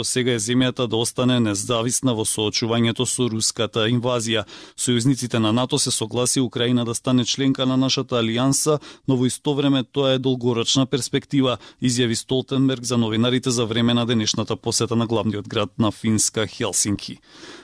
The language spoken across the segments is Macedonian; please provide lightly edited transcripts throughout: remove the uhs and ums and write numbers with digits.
Сега е земјата да остане независна во соочувањето со руската инвазија. Сојузниците на НАТО се согласи Украина да стане членка на нашата алијанса, но во исто време тоа е долгорочна перспектива, изјави Столтенберг за новинарите за време на денешната посета на главниот град на Финска Хелсинки.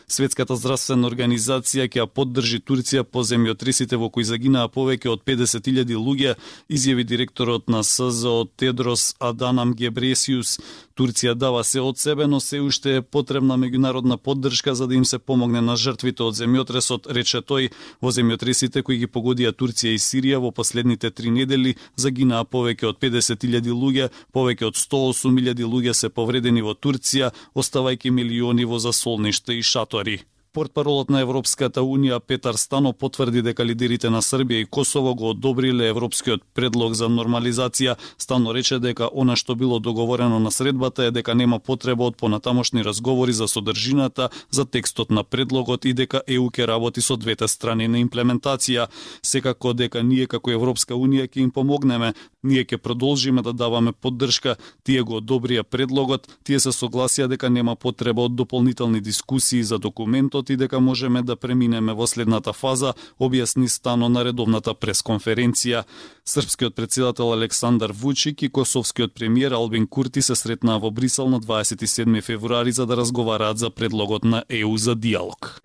Светската здравствена организација ќе ја поддржи Турција по земјотресите во кои загинаа повеќе од 50.000 луѓе, изјави директорот на СЗО Тедрос Аданам Гебресиус. Турција дава се од себе, но се уште е потребна меѓународна поддршка за да им се помогне на жртвите од земјотресот, рече тој. Во земјотресите кои ги погодија Турција и Сирија во последните 3 недели загинаа повеќе од 50.000 луѓе, повеќе од 108.000 луѓе се повредени во Турција, оставајќи милиони во засолништа и шатори. Портпаролот на Европската Унија Петар Стано потврди дека лидерите на Србија и Косово го одобриле европскиот предлог за нормализација. Стано рече дека она што било договорено на средбата е дека нема потреба од понатамошни разговори за содржината, за текстот на предлогот и дека ЕУ ќе работи со двете страни на имплементација. Секако дека ние како Европска Унија ќе им помогнеме. Ние ќе продолжиме да даваме поддршка. Тие го одобрија предлогот, тие се согласија дека нема потреба од дополнителни дискусии за документот и дека можеме да преминеме во следната фаза, објасни Стано на редовната пресконференција. Српскиот претседател Александар Вучик и косовскиот премиер Албин Курти се сретнаа во Брисел на 27 февруари за да разговараат за предлогот на ЕУ за диалог.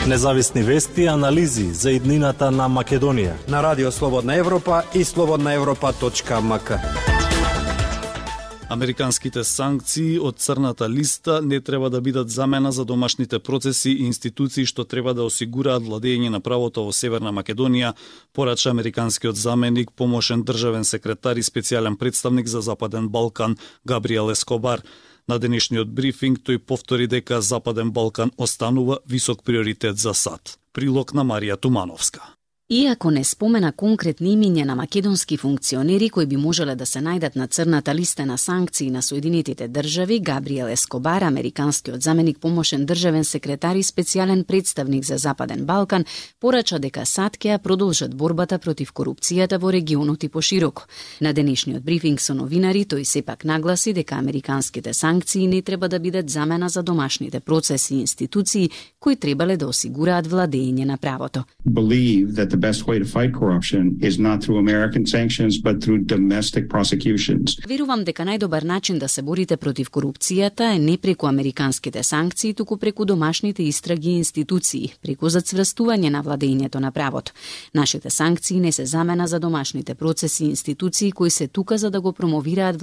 Независни вести и анализи за иднината на Македонија на Радио Слободна Европа и slobodnaevropa.mk. Американските санкции од црната листа не треба да бидат замена за домашните процеси и институции што треба да осигураат владење на правото во Северна Македонија, порача американскиот заменик, помошен државен секретар и специјален представник за Западен Балкан Габриел Ескобар. На денешниот брифинг тој повтори дека Западен Балкан останува висок приоритет за САД. Прилог на Марија Тумановска. Иако не спомена конкретни имиња на македонски функционери кои би можеле да се најдат на црната листа на санкции на Соединетите држави, Габриел Ескобар, американскиот заменик помошен државен секретар и специјален представник за Западен Балкан, порача дека САД ќе ја продолжат борбата против корупцијата во регионот и пошироко. На денешниот брифинг со новинари тој сепак нагласи дека американските санкции не треба да бидат замена за домашните процеси и институции кои требале да осигураат владење на правото. The best way to fight corruption is not through American sanctions, but through domestic prosecutions. Верувам дека најдобар начин да се борите против корупцијата е не преку американските санкции, туку преку домашните истраги и институции, преку зацврстување на владењето на правото. Нашите санкции не се замена за домашните процеси и институции кои се тука за да го промовираат